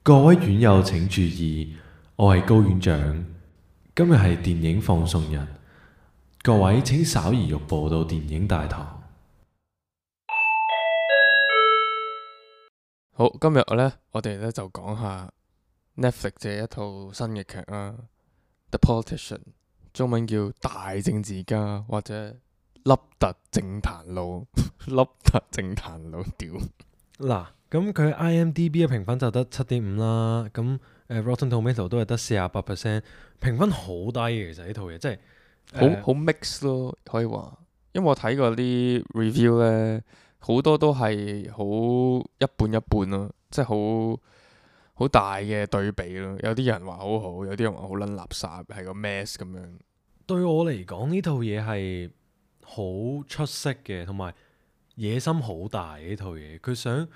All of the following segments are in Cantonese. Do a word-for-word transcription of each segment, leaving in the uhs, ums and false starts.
各位院友請注意，我係高院長。今日係電影放送日，各位請稍移玉步到電影大堂。好，今日咧，我哋咧就講下 Netflix 嘅一套新嘅劇啦，《The Politician》，中文叫《大政治家》或者凹凸政壇路，凹凸政壇路屌。嗱，咁佢 IMDB 嘅評分就得七點五啦，咁誒 Rotten Tomato 都係得四十八 percent，評分好低嘅。其實呢套嘢真係好好 mix 咯，可以話，因為我睇過啲 review 咧，好多都係好一半一半咯，即係好好大嘅對比咯。有啲人話好好，有啲人話好撚垃圾，係個 mess 咁樣。對我嚟講呢套嘢係好出色嘅，同埋野心好大嘅呢套嘢。佢想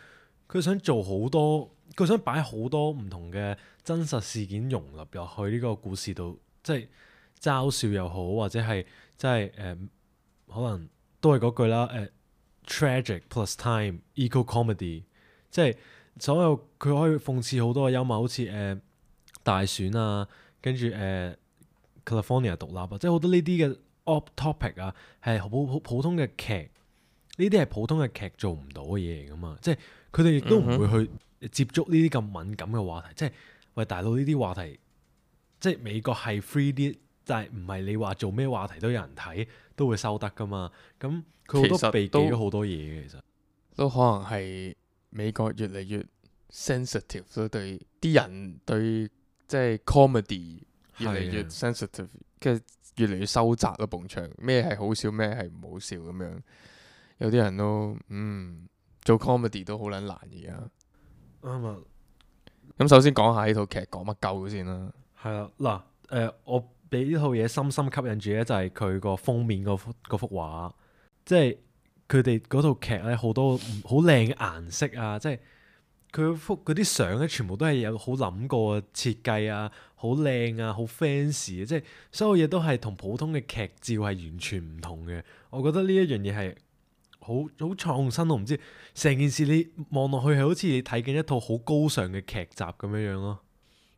佢想做好多，佢想擺好多唔同嘅真實事件融入入去呢個故事度，即係嘲笑又好，或者係即係誒可能都係嗰句啦，誒、呃、tragic plus time equal comedy，即係所有佢可以諷刺好多嘅幽默，好似誒、呃、大選啊，跟住誒。呃 California 獨立啊，即係好多呢啲嘅 off topic 啊，係好普普通嘅劇，呢啲係普通嘅劇做唔到嘅嘢嚟噶嘛，即係佢哋亦都唔會去接觸呢啲咁敏感嘅話題，即係喂大佬呢啲話題，即係美國係 free 啲，但係唔係你話做咩話題都有人睇，都會收得噶嘛，咁佢好多避忌咗好多嘢嘅，其實都可能係美國越嚟越 sensitive 咯，對啲人對即係 comedy。越嚟越 sensitive，跟住越嚟越收窄咯，埲牆咩係好笑，咩係唔好笑咁樣。有啲人都嗯做 comedy 都好撚難而家。啱啊。咁首先講下呢套劇講乜鳩先啦。係啦，嗱，誒，我俾呢套嘢深深吸引住咧，就係佢個封面嗰幅嗰幅畫，即係佢哋嗰套劇咧好多好靚嘅顏色啊，即係。佢幅嗰啲相咧，全部都係有好諗過設計啊，好靚啊，好 fancy 啊，即係所有嘢都係同普通嘅劇照係完全唔同嘅。我覺得呢一樣嘢係好好創新，我唔知成件事你望落去係好似你睇緊一套好高尚嘅劇集咁樣樣咯。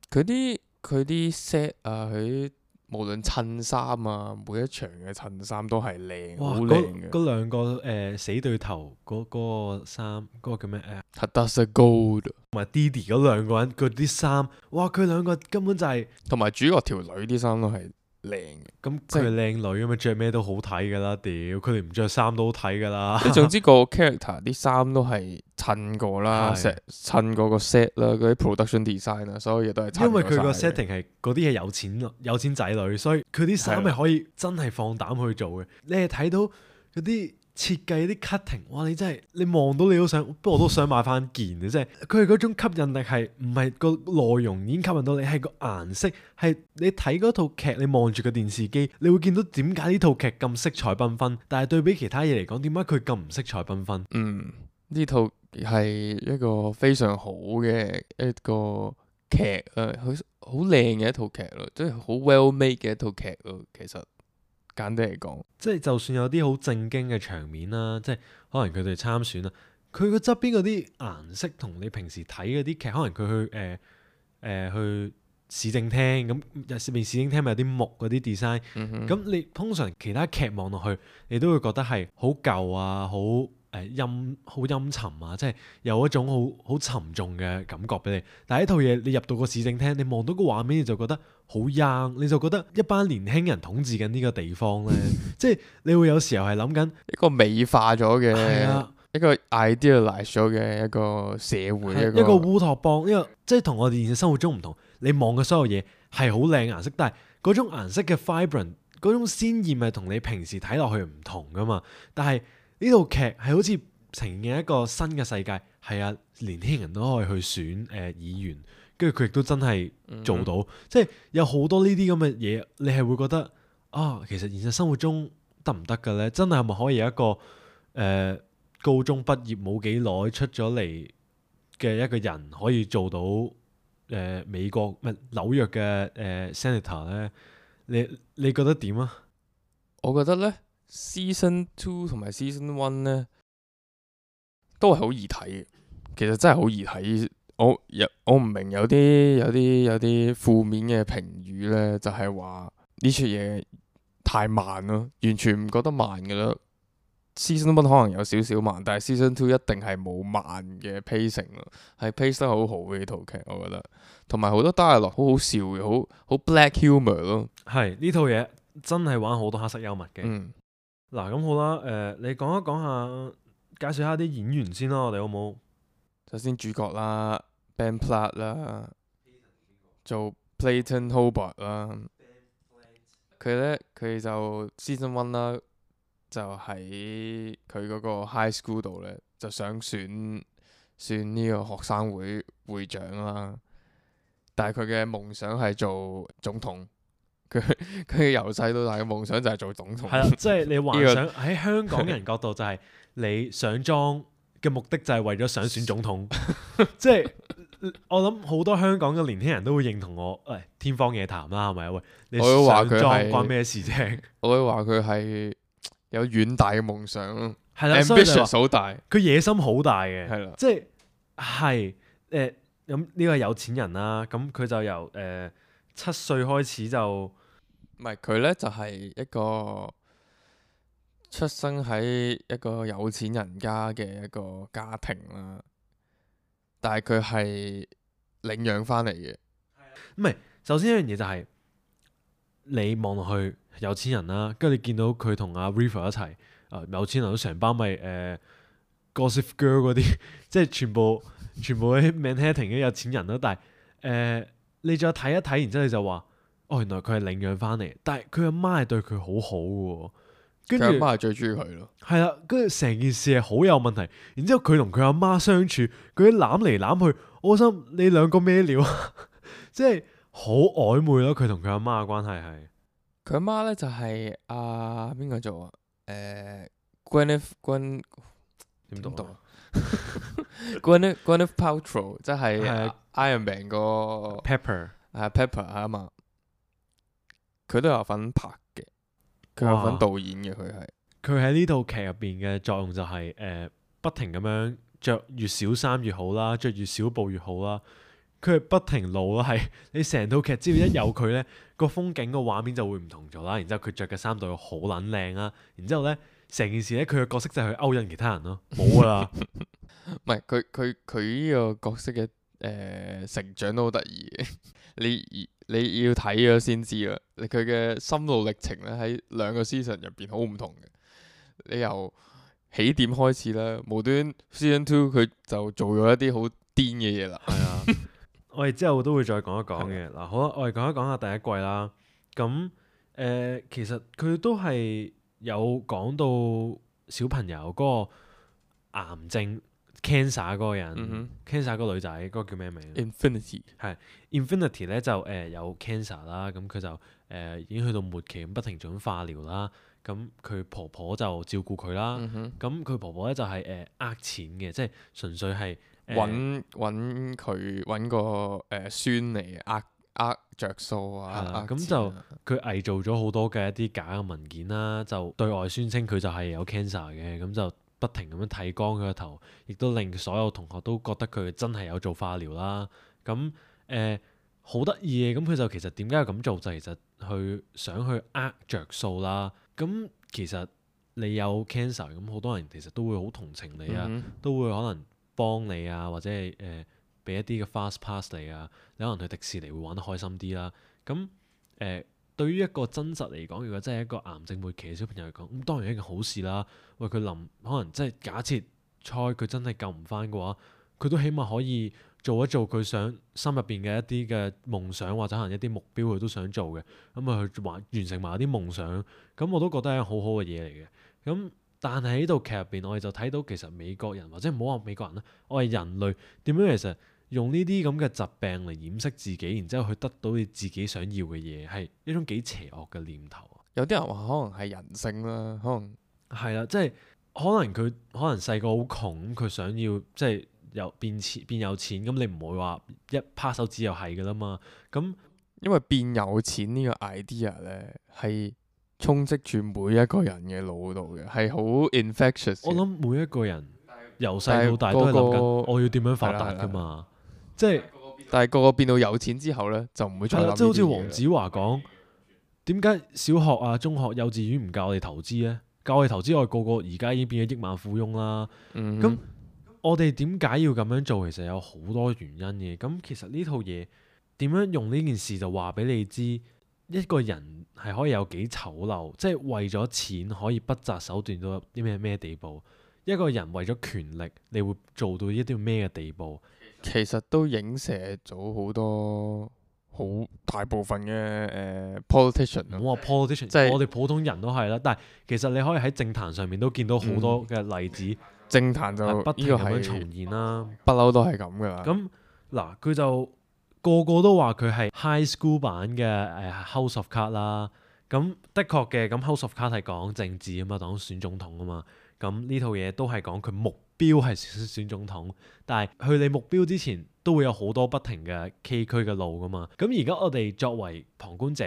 佢啲佢啲 set 啊，佢無論襯衫啊，每一場嘅襯衫都係靚，好靚嘅。嗰兩個誒、呃、死對頭嗰嗰、嗰個衫，嗰、嗰個叫咩誒 Hadassah Gold 同埋 Didi 嗰兩個人嗰啲衫，哇！佢兩個根本就係、是、同埋主角條女啲衫都係靚嘅。咁佢係靚女咁啊，着咩都好睇噶啦，屌佢哋唔着衫都好睇噶啦。你總之個 character 啲衫都係襯過啦，成襯過個 set 啦，嗰啲 production design 啊，所有嘢都係襯過。因為佢個 setting 係嗰啲係有錢有錢仔女，所以佢啲衫係可以真係放膽去做嘅。你係睇到嗰啲設計啲 cutting，哇！你真係你望到你都想，不過我都想買翻件嘅，即係佢係嗰種吸引力係唔係個內容已經吸引到你，係個顏色係你睇嗰套劇，你望住個電視機，你會見到點解呢套劇咁色彩繽紛，但係對比其他嘢嚟講，點解佢咁唔色彩繽紛？嗯，呢套係一個非常好嘅一個劇啊，好好靚嘅一套劇咯，即係好 well made 嘅一套劇咯，其實。簡單嚟講，即係就算有啲好正經嘅場面啦，即係可能佢哋參選啦，佢個側邊嗰啲顏色同你平時睇嗰啲劇，可能佢去誒誒、呃呃、去市政廳咁，入邊市政廳咪有啲木嗰啲 design，咁、嗯、哼你通常其他劇望落去，你都會覺得係好舊啊，好誒陰好陰沉啊，即係有一種好好沉重嘅感覺俾你。但係呢套嘢你入到個市政廳，你望到個畫面你就覺得好 young，你就覺得一班年輕人統治緊呢個地方咧，即係你會有時候係諗緊一個美化咗嘅，啊、一個 idealize 咗嘅一個社會，一個一個烏托邦，一個即係同我哋現實生活中唔同。你望嘅所有嘢係好靚顏色，但係嗰種顏色嘅 vibrant，嗰種鮮豔係同你平時睇落去唔同噶嘛。但係呢套劇係好似呈現一個新嘅世界，係啊，年輕人都可以去選誒、呃、議員。跟住佢亦都真係做到，嗯、即係有好多呢啲咁嘅嘢，你係會覺得啊，其實現實生活中得唔得嘅咧？真係係咪可以有一個誒、呃、高中畢業冇幾耐出咗嚟嘅一個人可以做到誒、呃、美國唔係紐約嘅誒、呃、Senator 咧？你你覺得點啊？我覺得咧 Season Two 同埋 Season One 咧都係好易睇嘅，其實真係好易睇。我有我唔明有啲有啲有啲負面嘅評語咧，就係話呢出嘢太慢咯，完全唔覺得慢㗎啦。Season one 可能有少少慢，但係 Season two 一定係冇慢嘅 pacing 咯，係 pace 得好好嘅呢套劇，我覺得。同埋好多 dialogue 好好笑嘅，好好 black humour 咯。係呢套嘢真係玩好多黑色幽默嘅。嗯，嗱咁好啦，誒、呃、你講一講下，介紹下啲演員先啦，我哋好冇？首先主角啦 ，Ben Platt 啦，做 Clayton Hobart 啦。佢咧佢就 Season one 啦。就喺佢嗰個 high school 度咧，就想選選呢個學生會會長啦。但係佢嘅夢想係做總統。佢佢由細到大嘅夢想就係做總統。係啦，即係你幻想喺香港人角度就係你上莊嘅目的就係為咗想選總統。即係我諗好多香港嘅年輕人都會認同我，誒天方夜譚啦，係咪啊？喂，你上莊關咩事啫？我會話佢係。有遠大嘅夢想咯，ambitious 好大，佢野心好大嘅，係啦，即係係誒咁呢個係有錢人啦，咁佢就由誒七歲開始就唔係佢咧就係一個出生喺一個有錢人家嘅一個家庭啦，但係佢係領養翻嚟嘅，唔係首先一樣嘢就係你望落去。有錢人啦，跟住你見到佢同阿 River 一齊，啊、呃、有錢人都成班咪誒 Gossip Girl 嗰啲，即係全部全部啲 Manhattan 嘅有錢人啦。但係誒、呃、你再睇一睇，然之後你就話，哦原來佢係領養翻嚟，但係佢阿媽係對佢好好嘅，跟住佢阿媽係最中意佢咯。係啦，跟住成件事係好有問題。然之後佢同佢阿媽相處，佢啲攬嚟攬去，我心你兩個咩料啊？即係好曖昧咯，佢同佢阿媽嘅關係係。佢阿媽咧就係阿邊個做啊？誒 Gwyneth Gwyn 點讀啊 Gwyneth Gwyneth Paltrow 即係 Iron Man 個 Pepper 係 Pepper 啊嘛，佢都有份拍嘅，佢有份導演嘅，佢係佢喺呢套劇入邊嘅作用就係、是、誒、呃、不停咁樣着越少衫越好啦，着越少布越好啦。佢係不停露咯，係你成套劇只要一有佢咧，個風景個畫面就會唔同咗啦。然之後佢着嘅衫對好撚靚啦。然之後咧，成件事咧，佢嘅角色就係去勾引其他人咯，冇噶啦。唔係佢佢佢呢個角色嘅誒、呃、成長都好得意嘅。你你要睇咗先知啦。佢嘅心路歷程咧喺兩個 season 入邊好唔同嘅。你由起點開始啦，無端 season two 佢就做咗一啲好癲嘅嘢啦。係啊。我哋之後都會再講一講嘅。嗱，好啦，我哋講一講下第一季啦。咁誒、呃，其實佢都係有講到小朋友嗰個癌症 cancer 嗰個人、嗯、哼 cancer 嗰個女仔嗰、嗰個叫咩名 ？Infinity 係 Infinity 咧就誒、呃、有 cancer 啦，咁佢就誒、呃、已經去到末期，咁不停做緊化療啦。咁佢婆婆就照顧佢啦。咁佢、嗯、哼婆婆咧就係誒呃錢嘅，即係純粹係。揾揾佢揾個誒孫嚟呃呃著數啊！咁就佢偽造咗好多嘅一啲假嘅文件啦，就對外宣稱佢就係有 cancer 嘅，咁就不停咁樣剃光佢個頭，亦都令所有同學都覺得佢真係有做化療啦。咁誒好得意嘅，咁佢就其實點解要咁做？就其實去想去呃着數啦。咁其實你有 cancer，咁好多人其實都會好同情你啊，嗯、哼都會可能幫你啊，或者係誒俾一啲嘅 fast pass 你啊，你可能去迪士尼會玩得開心啲啦。咁誒、呃、對於一個真實嚟講，如果真係一個癌症末期嘅小朋友嚟講，咁當然係一件好事啦。喂，佢臨可能即係假設猜佢真係救唔翻嘅話，佢都起碼可以做一做佢想心入邊嘅一啲嘅夢想，或者可能一啲目標佢都想做嘅，咁啊去完完成埋啲夢想，咁我都覺得係一個好好嘅嘢嚟嘅。咁但係喺呢套劇入邊，我哋就睇到其實美國人或者唔好話美國人啦，我係人類點樣其實用呢啲咁嘅疾病嚟掩飾自己，然之後去得到你自己想要嘅嘢，係一種幾邪惡嘅念頭。有啲人話可能係人性啦，可能係啦，即係可能佢可能細個好窮，佢想要即係有變錢變有錢，咁你唔會話一拍手指又係噶啦嘛。咁因為變有錢呢個 idea 咧係充斥住每一個人嘅腦度嘅，係好 infectious。我諗每一個人由細到大都係諗緊我要點樣發達噶嘛。即係但係個個變到有錢之後咧，就唔會再諗係啦，即係好似黃呢啲嘢啦子華講，點解小學啊、中學、幼稚園唔教我哋投資咧？教我哋投資，我哋個個而家已經變咗億萬富翁啦。嗯咁我哋點解要咁樣做？其實有好多原因嘅。咁其實呢套嘢點樣用呢件事就話俾你知，一個人係可以有幾醜陋，即係為咗錢可以不擇手段到啲咩咩地步。一個人為咗權力，你會做到一啲咩嘅地步？其實都影射咗好多好大部分嘅誒、呃 politician 咯。唔好話 politician，即係我哋普通人都係啦。但係其實你可以喺政壇上面都見到好多嘅例子，政壇就係不停呢個係咁樣重現啦。不嬲都係咁噶啦。咁嗱，佢就個個都話佢係 high school 版嘅誒 House of Cards 啦。咁的確嘅，咁 House of Cards 係講政治啊嘛，講選總統啊嘛。咁呢套嘢都係講佢目標係選選總統，但係去你目標之前都會有好多不停嘅崎嶇嘅路噶嘛。咁而家我哋作為旁觀者，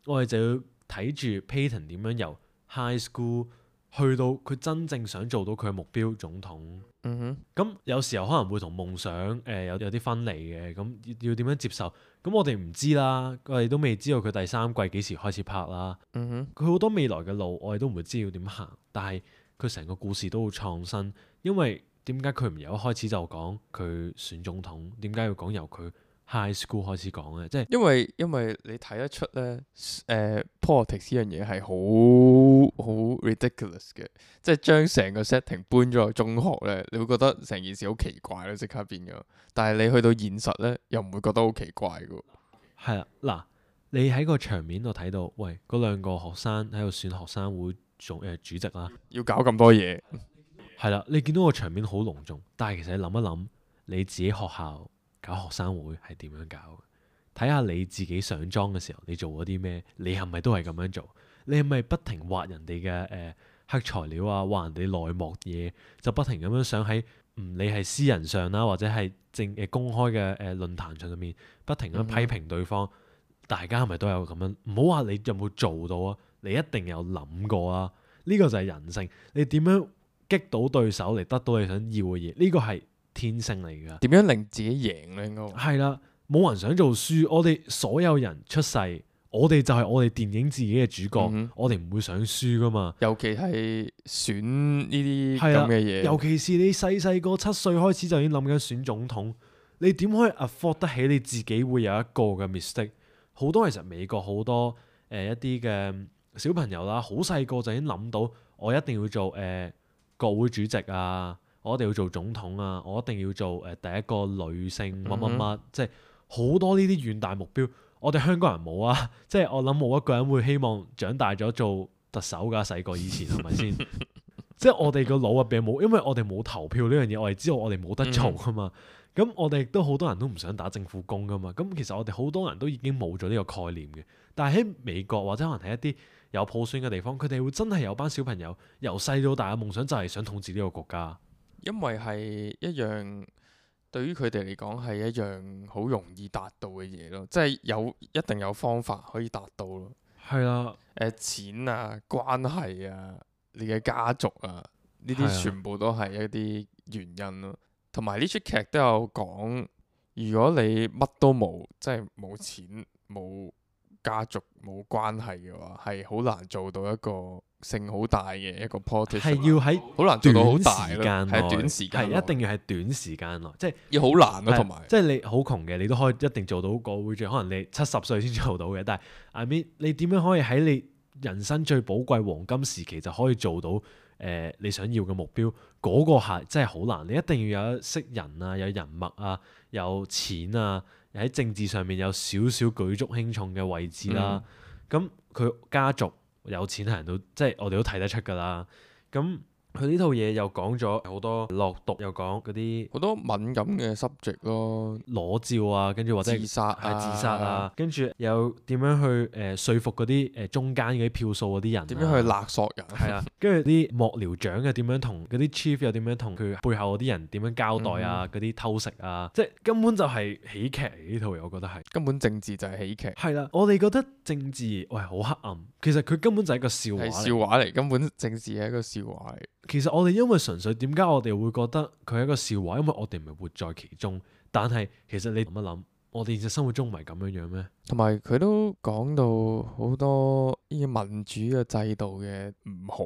我哋就要睇住 Payton 點樣由 high school 去到佢真正想做到佢嘅目標總統。嗯哼，咁有時候可能會同夢想誒、呃、有有啲分離嘅，咁要要點樣接受？咁我哋唔知啦，我哋都未知道佢第三季幾時開始拍啦。嗯哼，佢好多未來嘅路，我哋都唔會知要點行，但係佢成個故事都好創新。因為點解佢唔由一開始就講佢選總統？點解要講由佢 high school 開始講咧？即係因為因為你睇得出咧，誒、politics 呢樣嘢係好好 ridiculous 嘅，即係將成個 setting 搬咗去中學咧，你會覺得成件事好奇怪咯，即刻變咗。但係你去到現實咧，又唔會覺得好奇怪嘅。係啦，嗱，你喺個場面度睇到，喂，嗰兩個學生喺度選學生會做誒、呃、主席啦。要搞咁多嘢，係啦，你見到個場面好隆重，但係其實你諗一諗，你自己學校搞學生會係點樣搞嘅？睇下你自己上莊嘅時候，你做咗啲咩？你係咪都係咁樣做？你係咪不停挖人哋嘅誒黑材料啊，挖人哋內幕嘢，就不停咁樣想喺唔理係私人上啦，或者係正誒公開嘅誒論壇上面，不停咁批評對方。嗯、大家係咪都有咁樣？唔好話你有冇做到啊，你一定有諗過啊。呢、這個就係人性，你點樣擊倒對手嚟得到你想要嘅嘢？呢、這個係天性嚟㗎。點樣令自己贏咧？應該係啦，冇人想做輸。我哋所有人出世，我哋就係我哋電影自己嘅主角，嗯、我哋唔會想輸㗎嘛。尤其係選呢啲係啊咁嘅嘢，尤其是你細細個七歲開始就已經諗緊選總統，你點可以 afford 得起你自己會有一個嘅 mistake？好多其實美國好多誒、呃、一啲嘅小朋友啦，好細個就已經諗到，我一定要做誒、呃、國會主席啊，我一定要做總統啊，我一定要做誒、呃、第一個女性乜乜乜，即係好多呢啲遠大目標。我哋香港人冇啊，即係我諗冇一個人會希望長大咗做特首㗎，細個以前係咪先？即係我哋個腦入邊冇，因為我哋冇投票呢樣嘢，我哋知道我哋冇得做㗎嘛。咁、嗯、我哋亦都好多人都唔想打政府工㗎嘛。咁其實我哋好多人都已經冇咗呢個概念嘅。但係喺美國或者可能係一啲有普選嘅地方，佢哋會真係有班小朋友由細到大嘅夢想就係想統治呢個國家。因為係一樣對於佢哋嚟講係一樣好容易達到嘅嘢咯，即係有一定有方法可以達到咯。係啦，誒、呃、錢啊、關係啊、你嘅家族啊，呢啲全部都係一啲原因咯。同埋呢出劇都有講，如果你乜都冇，即係冇錢、冇家族、冇關係嘅話，係好難做到一個性好大嘅一個 politician，係要喺好難做到好短大咯，時間內，係短時間內，係一定要係短時間內，即係要好難咯，係同埋即係你好窮嘅，你都可以一定做到國會主席，可能你七十歲先做到嘅。但係 I mean，你點樣可以喺你人生最寶貴黃金時期就可以做到誒、呃、你想要嘅目標？嗰、那個係真係好難，你一定要有識人啊，有人脈啊，有錢啊，喺政治上面有少少舉足輕重嘅位置啦。咁佢、嗯、家族有錢係人都即係我哋都睇得出㗎啦。咁佢呢套嘢又講咗好多落毒，又講嗰啲好多敏感嘅 subject 咯，裸照啊，跟住或者自殺啊係自殺啊，跟住又點樣去誒、呃、說服嗰啲誒中間嗰啲票數嗰啲人、啊，點樣去勒索人？係啊，跟住啲幕僚長又點樣同嗰啲 chief 又點樣同佢背後嗰啲人點樣交代啊？嗰啲、嗯、偷食啊，即係根本就係喜劇嚟呢套嘢，我覺得係根本政治就係喜劇。係啦，我哋覺得政治喂好黑暗，其實佢根本就係一個笑話嚟，係笑話嚟，根本政治係一個笑話嚟。其實我哋因為純粹點解我哋會覺得佢係一個笑話，因為我哋唔係活在其中。但係其實你諗一諗，我哋現實生活中唔係咁樣樣咩？同埋佢都講到好多呢個民主嘅制度嘅唔好，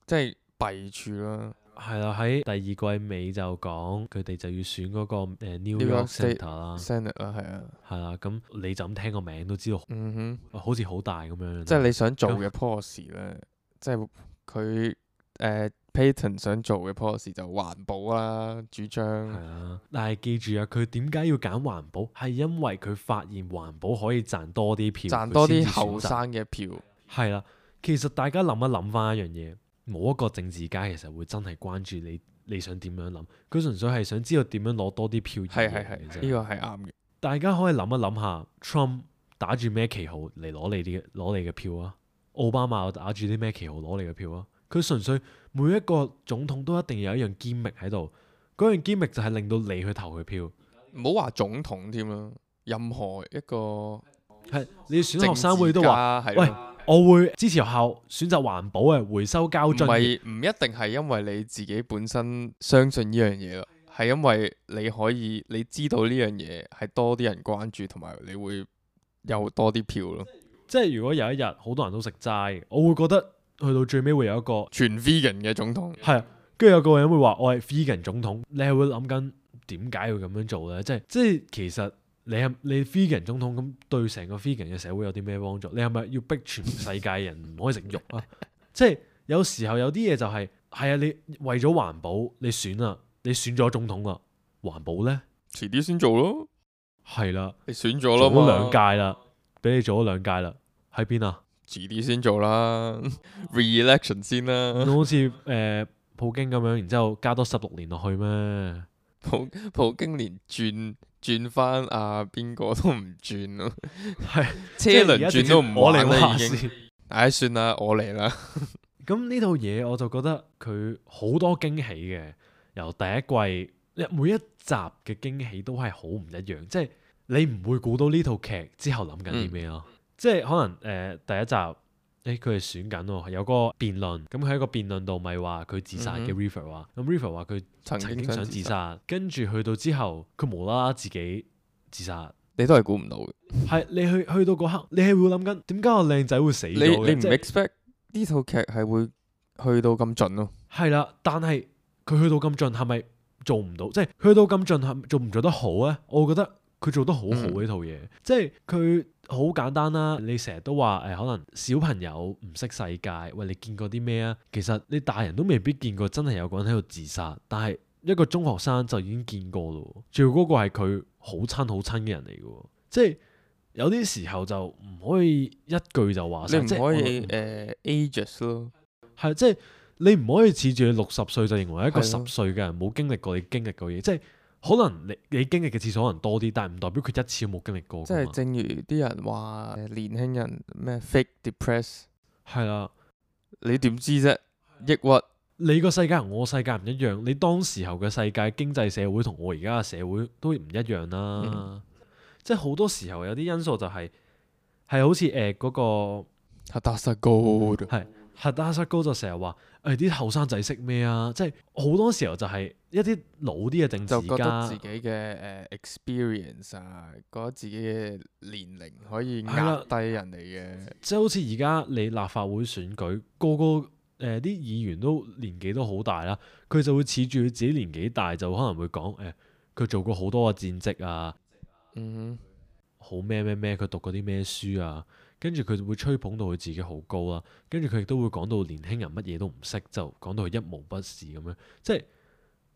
即係弊處啦。係啦，喺第二季尾就講佢哋就要選嗰個誒 New New York York State Senator 啦， Senate 啦，係啊，係啦，咁你就咁聽個名都知道，嗯哼，好似好大咁樣。即係你想做咁嘅 policy 咧，即係佢誒 Payton 想做嘅 policy 就環保啦，主張係啊，但係記住啊，佢點解要揀環保？係因為佢發現環保可以賺多啲票，賺多啲佢先至選擇後生嘅票。係啦，其實大家諗一諗翻一樣嘢，冇一個政治家其實會真係關注你你想點樣諗，佢純粹係想知道點樣攞多啲票而係係係，贏嘅啫。呢個係啱嘅。大家可以諗一諗下，Trump 打住咩旗號嚟攞你啲攞你嘅票啊？奧巴馬又打住啲咩旗號攞你嘅票啊？佢純粹每一個總統都一定有一樣堅力喺度，嗰樣堅力就係令到你去投佢票。唔好話總統添啦，任何一個係你要選學生會都話，喂係咯，我會支持學校選擇環保嘅回收膠唔樽。係唔一定係因為你自己本身相信呢樣嘢咯，係因為你可以你知道呢樣嘢係多啲人關注，同埋你會有多啲票咯。即係如果有一日好多人都食齋，我會覺得去到最尾會有一個全 vegan 嘅總統，係啊，跟住有個人會話我係 vegan 總統，你係會諗緊點解要咁樣做咧？即係即係其實你係你 vegan 總統咁對成個 vegan 嘅社會有啲咩幫助？你係咪要逼全世界人唔可以食肉啊？即係有時候有啲嘢就係、係、係啊，你為咗環保你選啦，你選咗總統啦，環保咧遲啲先做咯。係啦，你選咗啦做咗兩嘛，屆啦，俾你做咗兩屆啦，喺邊啊？遲啲先做啦，re-election 先啦。好似誒、呃、普京咁樣，然之後加多十六年落去咩？普普京連轉轉翻啊邊個都唔轉咯，係車輪轉都唔我嚟玩啦已經。話事。唉，算啦，我嚟啦。咁呢套嘢我就覺得佢好多驚喜嘅，由第一季每一集嘅驚喜都係好唔一樣，即係你唔會估到呢套劇之後諗緊啲咩咯。即係可能誒、呃、第一集，誒佢係選緊喎，有個辯論，咁佢喺個辯論度咪話佢自殺嘅 River 話，咁 River 話佢曾曾經想自經想自殺，殺，跟住去到之後佢無啦啦自己自殺。你都係估唔到嘅。係你去去到嗰刻，你係會諗緊點解個靚仔會死咗你嘅？你唔即係 expect 呢套劇係會去到咁盡咯？係啦，但係佢去到咁盡係咪做唔到？即係去到咁盡係做唔做得好咧？我覺得佢做得好好呢套嘢，即係佢好簡單啦。你成日都話誒，可能小朋友唔識世界，喂，你見過啲咩啊？其實你大人都未必見過，真係有個人喺度自殺，但係一個中學生就已經見過咯。仲要嗰個係佢好親好親嘅人嚟嘅，即係有啲時候就唔可以一句就話晒，你唔可以即係誒 ages 咯，係即係你唔可以恃住你六十歲就認為一個十係咯歲嘅人冇經歷過你經歷過嘢，即係可能你你經歷嘅次數可能多啲，但係唔代表佢一次都冇經歷過㗎嘛。即係正如啲人話誒年輕人咩 fake depress，係啦，你點知啫？抑鬱你個世界同我世界唔一樣，你當時候嘅世界經濟社會同我而家嘅社會都唔一樣啦。嗯即係好多時候有啲因素就係、係好似誒嗰個係達實高嘅，係核打失高就成日話誒啲後生仔識咩啊？即係好多時候就係一啲老啲嘅政就覺得治家自己嘅誒 experience 啊，覺得自己嘅年齡可以係啦壓低人哋嘅。即係好似而家你立法會選舉，個個誒啲議員都年紀都好大啦，佢就會恃住佢自己年紀大，就可能會講誒佢做過好多嘅戰績啊，嗯好咩咩咩，佢讀過啲咩書啊，跟住佢會吹捧到佢自己好高啦，跟住佢亦都會講到年輕人乜嘢都唔識，就講到佢一無不是咁樣。即係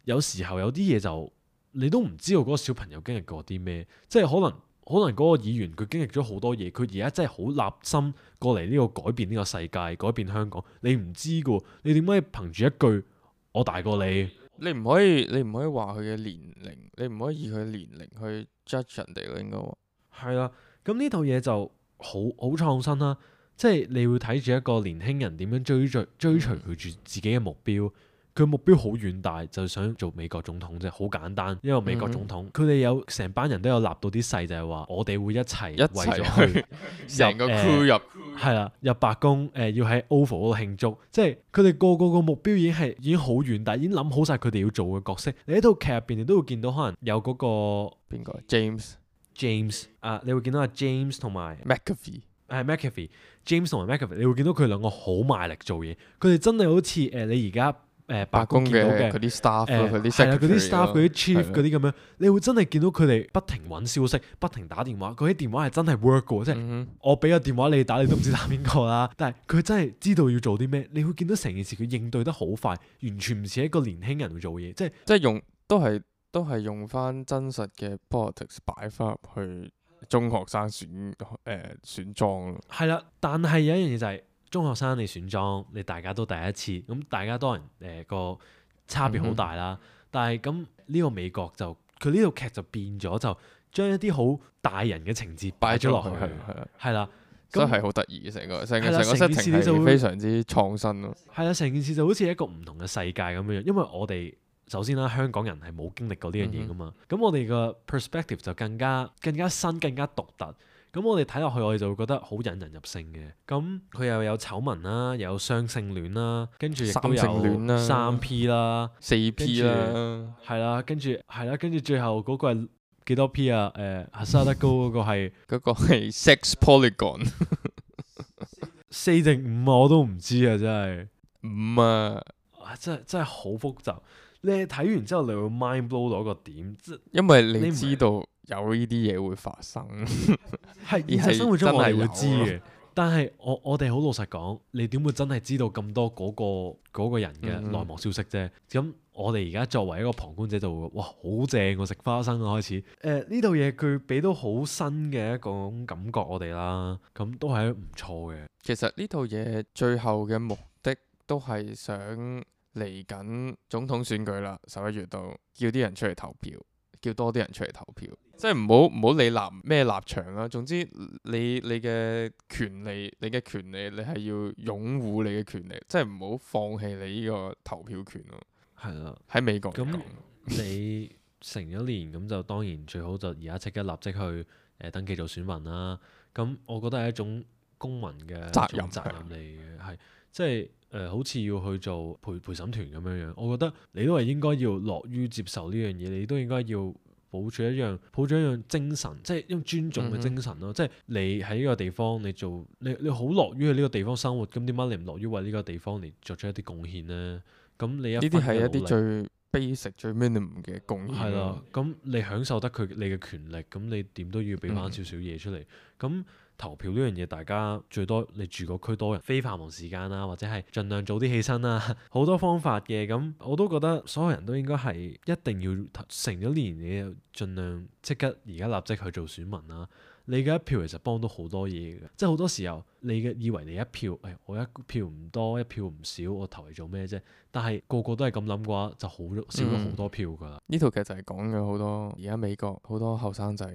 有時候有啲嘢就你都唔知道嗰個小朋友經歷過啲咩，即係可能可能嗰個議員佢經歷咗好多嘢，佢而家真係好立心過嚟呢個改變呢個世界，改變香港，你唔知噶，你點解憑住一句我大過你？你唔可以，你唔可以話佢嘅年齡，你唔可以以佢年齡去 judge 人哋咯，應該話。係啦，咁呢套嘢就好好創新啦，即係你會睇住一個年輕人點樣追追追隨佢住自己嘅目標，佢目標好遠大，就想做美國總統啫，好簡單。因為美國總統，佢哋、嗯、有成班人都有立到啲誓，就係話我哋會一齊為咗去成個 crew 入係啦、呃，入白宮誒、呃，要喺 Oval 嗰度慶祝。即係佢哋個個個目標已經係已經好遠大，已經諗好晒佢哋要做嘅角色。你喺套劇入邊，你都會見到可能有嗰、嗰個邊個 James James 啊，你會見到阿 James 同埋 McAfee 係 McAfee，James 同埋 McAfee，你會見到佢兩個好賣力做嘢。佢哋真係好似誒、呃、你而家。誒白宮見到嘅嗰啲 staff 誒嗰啲係啦，嗰啲 staff 嗰啲 chief 嗰啲咁樣，的你會真係見到佢哋不停揾消息，不停打電話。嗰啲電話係真係 work 嘅，即係、嗯、哼我俾個電話你打，你都唔知打邊個啦。但係佢真係知道要做啲咩，你會見到成件事佢應對得好快，完全唔似一個年輕人會做嘢，即係即係用都係都係用翻真實嘅 politics 擺翻入去中學生選誒、呃、選裝咯。係啦，但係有一樣嘢就係、是。中學生你選裝，你大家都第一次，咁大家多人誒個、呃、差別好大啦。嗯、哼但係咁呢個美國就佢呢套劇就變咗，就將一啲好大人嘅情節擺咗落去，係啦，真係好得意嘅成個成個成個 setting 係非常之創新咯。係啦，成件事就好似一個唔同嘅世界咁樣，因為我哋首先啦，香港人係冇經歷過呢樣嘢噶嘛，咁、嗯、哼我哋個 perspective 就更加更加新、更加獨特。咁我哋睇落去，我哋就會覺得好引人入勝嘅。咁佢又有醜聞啦，又有雙性戀啦，跟住亦都有三 P 啦、四 P 啦，係啦，跟住係啦，跟住最後嗰個係幾多 P 啊？誒、呃，哈薩德高嗰個係嗰個係 sex polygon 四定五啊？我都唔知啊，真係五啊！真係真係好複雜。你睇完之後，你會 mind blow 到一個點，即因為你知道有呢啲嘢會發生，係現實生活中我係會知嘅。但係我我哋好老實講，你點會真係知道咁多嗰、嗰個嗰個人嘅內幕消息啫？咁、嗯、我哋而家作為一個旁觀者就會哇好正喎，食花生啊開始。誒呢套嘢佢俾到好新嘅一種感覺我哋啦，咁都係唔錯嘅。其實呢套嘢最後嘅目的都係想。嚟緊總統選舉啦，十一月度叫啲人出嚟投票，叫多啲人出嚟投票，即係唔好唔好理立咩立場啦。總之你你嘅權利，你嘅權利，你係要擁護你嘅權利，即係唔好放棄你呢個投票權咯。係啦，喺美國咁你成咗年咁就當然最好就而家即刻立即去誒、呃、登記做選民啦。咁我覺得係一種公民嘅責任責任嚟嘅，係即係。誒、呃、好似要去做陪陪審團咁樣樣，我覺得你都係應該要樂於接受呢樣嘢，你都應該要抱住一樣抱住一樣精神，即係一種尊重嘅精神咯。嗯、哼即係你喺呢個地方，你做你你好樂於喺呢個地方生活，咁點解你唔樂於為呢個地方嚟作出一啲貢獻呢？咁你一呢啲係一啲最 basic 最 minimum 嘅貢獻。係啦，咁你享受得佢你嘅權力，咁你點都要俾翻少少嘢出嚟。咁、嗯投票呢樣嘢，大家最多你住個區多人，非繁忙時間啦，或者係盡量早啲起身啦，好多方法嘅。咁我都覺得所有人都應該係一定要成咗年，你就盡量即刻而家立即去做選民啦。你嘅一票其實幫到好多嘢嘅，即係好多時候你嘅以為你一票，誒、哎、我一票唔多，一票唔少，我投嚟做咩啫？但係個個都係咁諗嘅話，就好少咗好多票㗎啦。呢套劇就係講嘅好多，而家美國好多後生仔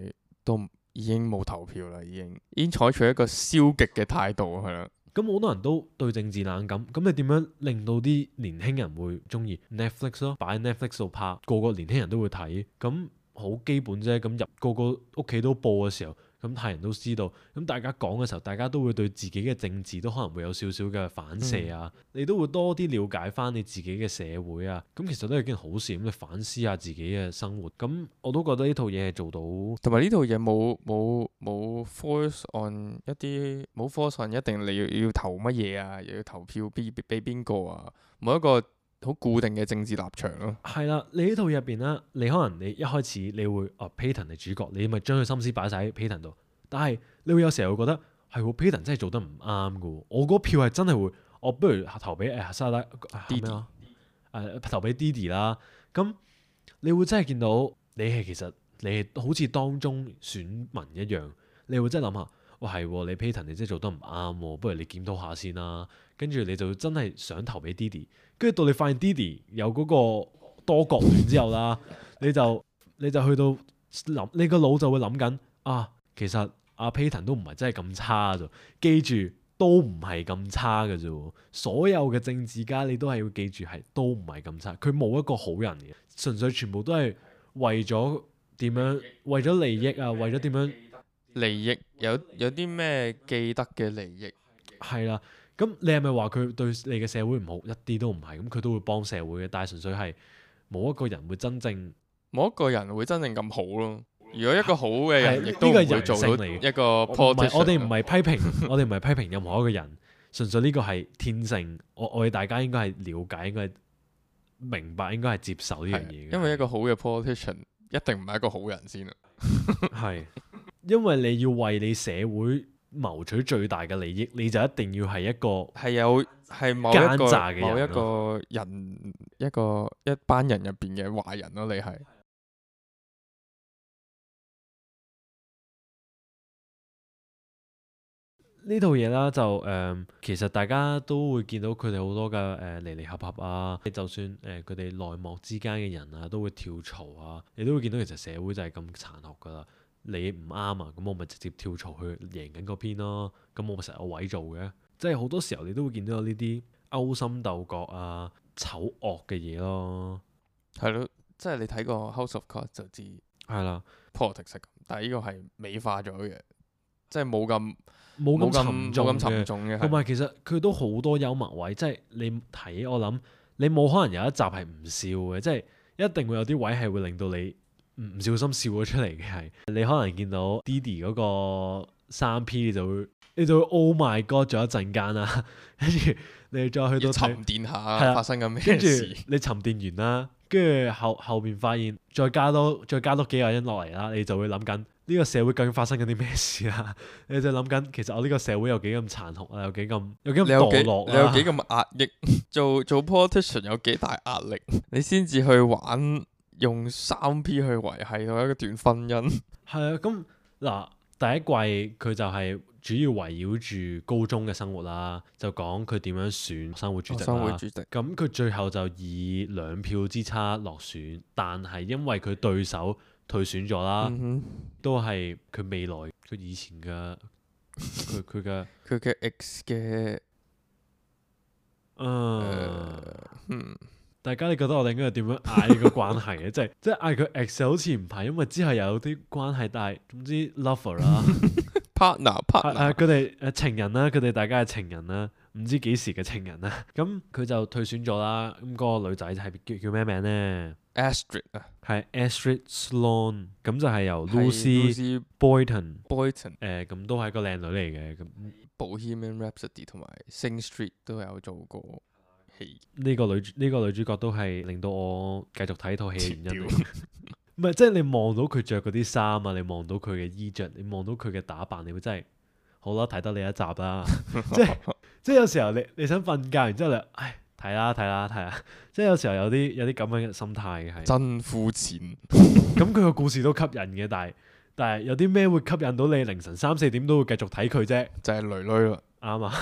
都已經冇投票啦，已經已經採取一個消極嘅態度係啦。咁好多人都對政治冷感，咁你點樣令到啲年輕人會中意 Netflix 咯？擺喺 Netflix 度拍，個個年輕人都會睇，咁好基本啫。咁入個個屋企都播嘅時候。咁係人都知道，咁大家講嘅時候，大家都會對自己嘅政治都可能會有少少嘅反射啊，嗯、你都會多啲了解翻你自己嘅社會啊，咁其實都係件好事，咁你反思下自己嘅生活，咁我都覺得呢套嘢係做到，同埋呢套嘢冇冇冇 force on 一啲冇 force on 一定你要要投乜嘢啊，又要投票俾俾邊個啊，冇一個好固定嘅政治立場咯。係啦，你呢套入邊咧，你可能你一開始你會啊 Payton 係主角，你咪將佢心思擺晒喺 Payton 度。但係你會有時候會覺得係喎 Payton 真係做得唔啱噶。我嗰票係真係會，我不如投俾誒沙拉 Didi 啊，誒投俾 Didi 啦。咁你會真係見到你係其實你係好似當中選民一樣，你會真係諗下，哇係喎，你 Payton 你真係做得唔啱喎，不如你檢討下先啦。跟住你就真係想投俾 Didi，跟住到你發現 Didi 有嗰個多角戀之後啦，你就你就去到諗，你個腦就會諗緊啊，其實阿 Payton 都唔係真係咁差啫。記住都唔係咁差嘅啫喎。所有嘅政治家你都係要記住係都唔係咁差，佢冇一個好人嘅，純粹全部都係為咗點樣，為咗利益啊，為咗點樣利益有有啲咩既得嘅利益？係啦。咁你係咪話佢對你嘅社會唔好？一啲都唔係，咁佢都會幫社會嘅，但係純粹係冇一個人會真正冇一個人會真正咁好咯。如果一個好嘅人，亦係呢個都唔會係人性做到嚟嘅一個唔係 politician 我哋唔係批評，我哋唔係批評任何一個人，純粹呢個係天性。我我哋大家應該係了解，應該係明白，應該係接受呢樣嘢嘅。因為一個好嘅 politician 一定唔係一個好人先啦。係因為你要為你社會謀取最大嘅利益，你就一定要係一個係有係某一奸個詐嘅人某一咯個人一個一班人入邊嘅壞人咯，你係呢套嘢啦，就誒、呃其實大家都會見到佢哋好多嘅誒離離合合啊，就算誒佢哋內幕之間嘅人啊，都會跳槽啊，你都會見到其實社會就係咁殘酷噶啦。你唔啱啊，咁我咪直接跳槽去贏緊嗰邊咯。咁我咪成日有位做嘅，即係好多時候你都會見到有呢啲勾心鬥角啊、醜惡嘅嘢咯。係咯，即係你睇過 House of Cards 就知係啦， politics 係咁，但係呢個係美化咗嘅，即係冇咁冇咁冇咁沉重冇咁沉嘅。重嘅，同埋其實佢都好多幽默位，即係你睇我諗，你冇可能有一集係唔笑嘅，即係一定會有啲位係會令到你唔唔小心笑咗出嚟嘅。係你可能見到 Diddy 嗰個三 P，你就會你就會 Oh my God 咗一陣間啦，跟住你再去到要睇沉澱係下啦發生緊咩跟住事。你沉澱完啦，跟住後後邊發現再加多再加多幾個人落嚟啦，你就會諗緊呢個社會究竟發生緊啲咩事啦？你就諗緊其實我呢個社會有幾咁殘酷啊，有幾咁有幾咁你有幾墮落你有啦。幾咁壓抑？做做 politician 有幾大壓力？你先至去玩用三 P 去維係到一段婚姻。係啊，咁嗱第一季佢就係主要圍繞住高中嘅生活啦，就講佢點樣選生活主席啦。生會主席咁佢最後就以兩票之差落選，但係因為佢對手退選咗啦，嗯哼，都係佢未來佢以前嘅佢佢嘅佢嘅 X 嘅誒，嗯大家你覺得我哋應該點樣嗌呢個關係嘅？即係即係嗌佢 X 好似唔係，因為之後又有啲關係，但係總之 lover 啦， partner 係 partner 係佢哋誒情人啦，佢哋大家係情人啦，唔知幾時嘅情人啦。咁佢就退選咗啦。咁嗰個女仔係叫叫咩名呢？ Astrid 啊，係 Astrid Sloan，咁就係由係 Lucy Lucy Boyton Boyton、誒咁都係一個靚女嚟嘅。咁 Bohemian Rhapsody 同埋 Sing Street 都有做過戲。呢個女呢個女主角都係令到我繼續睇套戲嘅原因嚟切嘅。唔係，即係你望到佢着嗰啲衫啊，你望到佢嘅衣着，你望到佢嘅打扮，你會真係好啦，睇得你一集啦。即係即係有時候你你想瞓覺，然之後你唉睇啦睇啦睇啦，即係有時候有啲有啲咁樣嘅心態嘅係。真膚淺，咁佢個故事都吸引嘅，但係但係有啲咩會吸引到你凌晨三四點都會繼續睇佢啫？就係女女啦。啱啊！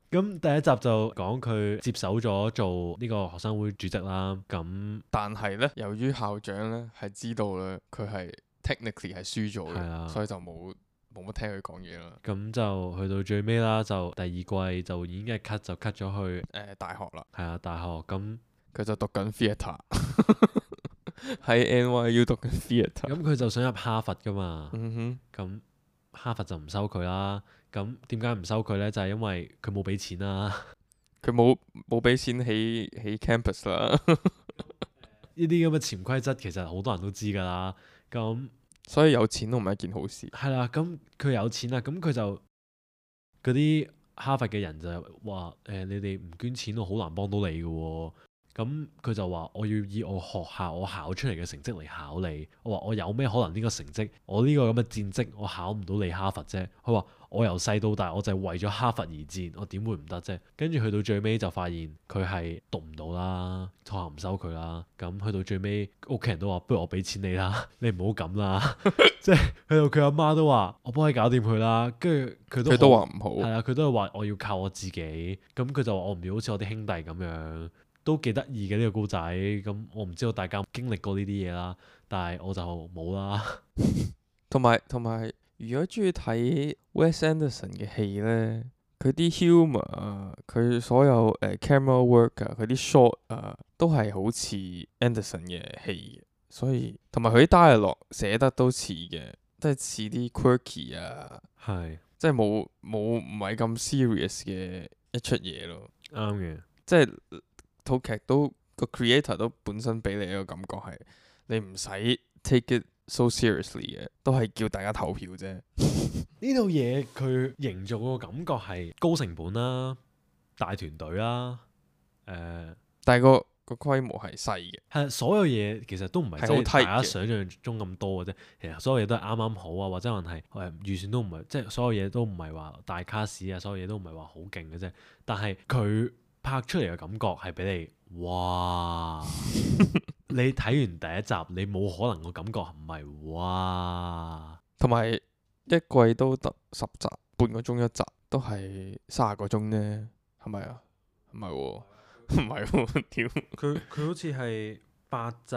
咁第一集就講佢接手咗做呢個學生會主席啦。咁但係咧，由於校長咧係知道咧，佢係 technically 係輸咗係啊嘅，所以就冇冇乜聽佢講嘢啦。咁就去到最尾啦，就第二季就已經係 cut 就 cut 咗去誒、大學啦，係啊大學。咁佢就讀緊 theatre，喺 N Y U 讀緊 theatre。咁佢就想入哈佛噶嘛。嗯哼，咁哈佛就唔收佢啦。咁點解唔收佢呢？就係因為佢冇俾錢啦。佢冇冇俾錢起起 campus 啦，呢啲咁嘅潛規則其實好多人都知㗎啦。咁所以有錢都唔係一件好事。係啦，咁佢有錢啦，咁佢就嗰啲哈佛嘅人就話誒、你哋唔捐錢，我好難幫到你嘅喎。咁佢就話我要以我學校我考出嚟嘅成績嚟考你。我話我有咩可能呢個成績，我呢個咁嘅戰績，我考唔到你哈佛啫。佢話我由細到大我就係為咗哈佛而戰，我點會唔得啫？跟住去到最尾就發現佢係讀唔到啦，學校唔收佢啦。咁去到最尾屋企人都話不如我俾錢你啦，你唔好咁啦。即係去到佢阿媽都話我幫你搞掂佢啦。跟住佢都佢都好話唔好，係啊，佢都係話我要靠我自己。咁佢就話我唔要好似我啲兄弟咁樣。都幾得意嘅呢個故仔。咁我唔知道大家經歷過呢啲嘢啦，但係我就冇啦。同埋同埋如果中意睇 Wes Anderson 嘅戲咧，佢啲 humour 啊，佢所有誒、呃、camera work 啊，佢啲 shot 啊，都係好似 Anderson 嘅戲嘅，所以同埋佢啲 dialogue 寫得都似嘅，都係似啲 quirky 啊，係即係冇冇唔係咁 serious 嘅一出嘢咯。啱嘅。即係套劇都個 creator 都本身俾你一個感覺係，你唔使 take it so seriously 嘅，都係叫大家投票啫。呢套嘢佢營造個感覺係高成本啦、大團隊啦，誒、呃，但係個個規模係細嘅，係所有嘢其實都唔係係好真係 tight 大家嘅想象中咁多嘅啫。其實所有嘢都係啱啱好啊，或者可能係誒預算都唔係，即係所有嘢都唔係話大卡士啊，所有嘢都唔係話好勁嘅啫。但係佢拍出嚟嘅感覺係俾你，哇！你睇完第一集，你冇可能個感覺唔係哇。同埋一季都得十集，半個鐘一集，都係卅個鐘啫，係咪啊？唔係喎，唔係喎，屌！佢佢好似係八集，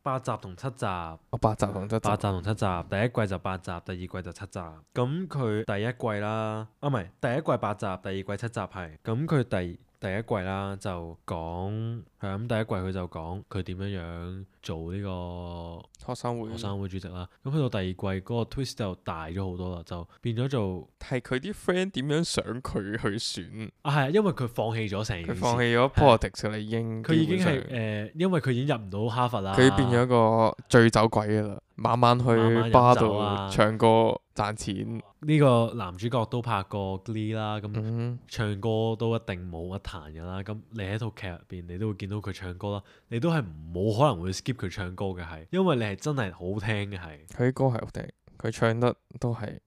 八集同七集，我八集同七集，八集同七集，第一季就八集，第二季就七集。咁佢第一季啦，啊唔係第一季八集，第二季七集係。咁佢第第一季啦就講係咁，第一季佢就講佢點樣樣做呢個學生會學生會主席啦。咁去到第二季嗰個 twist 就大咗好多啦，就變咗做係佢啲 friend 點樣想佢去選？啊係啊，因為佢放棄咗成件佢事，放棄咗 politics 啦，已經佢已經基本上係誒、呃，因為佢已經入唔到哈佛啦，佢變咗個醉酒鬼噶啦，晚晚去晚晚飲巴度酒啊唱歌賺錢。呢個男主角都拍過 Glee 啦，咁、嗯，唱歌都一定冇得彈㗎啦。咁你喺套劇入邊，你都會見到佢唱歌啦，你都係冇可能會 skip 佢唱歌嘅，係因為你係真係好聽嘅，係佢啲歌係好聽，佢唱得都係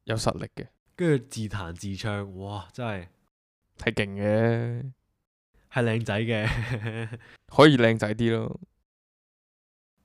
有實力嘅，跟住自彈自唱，哇！真係係勁嘅，係靚仔嘅，可以靚仔啲咯。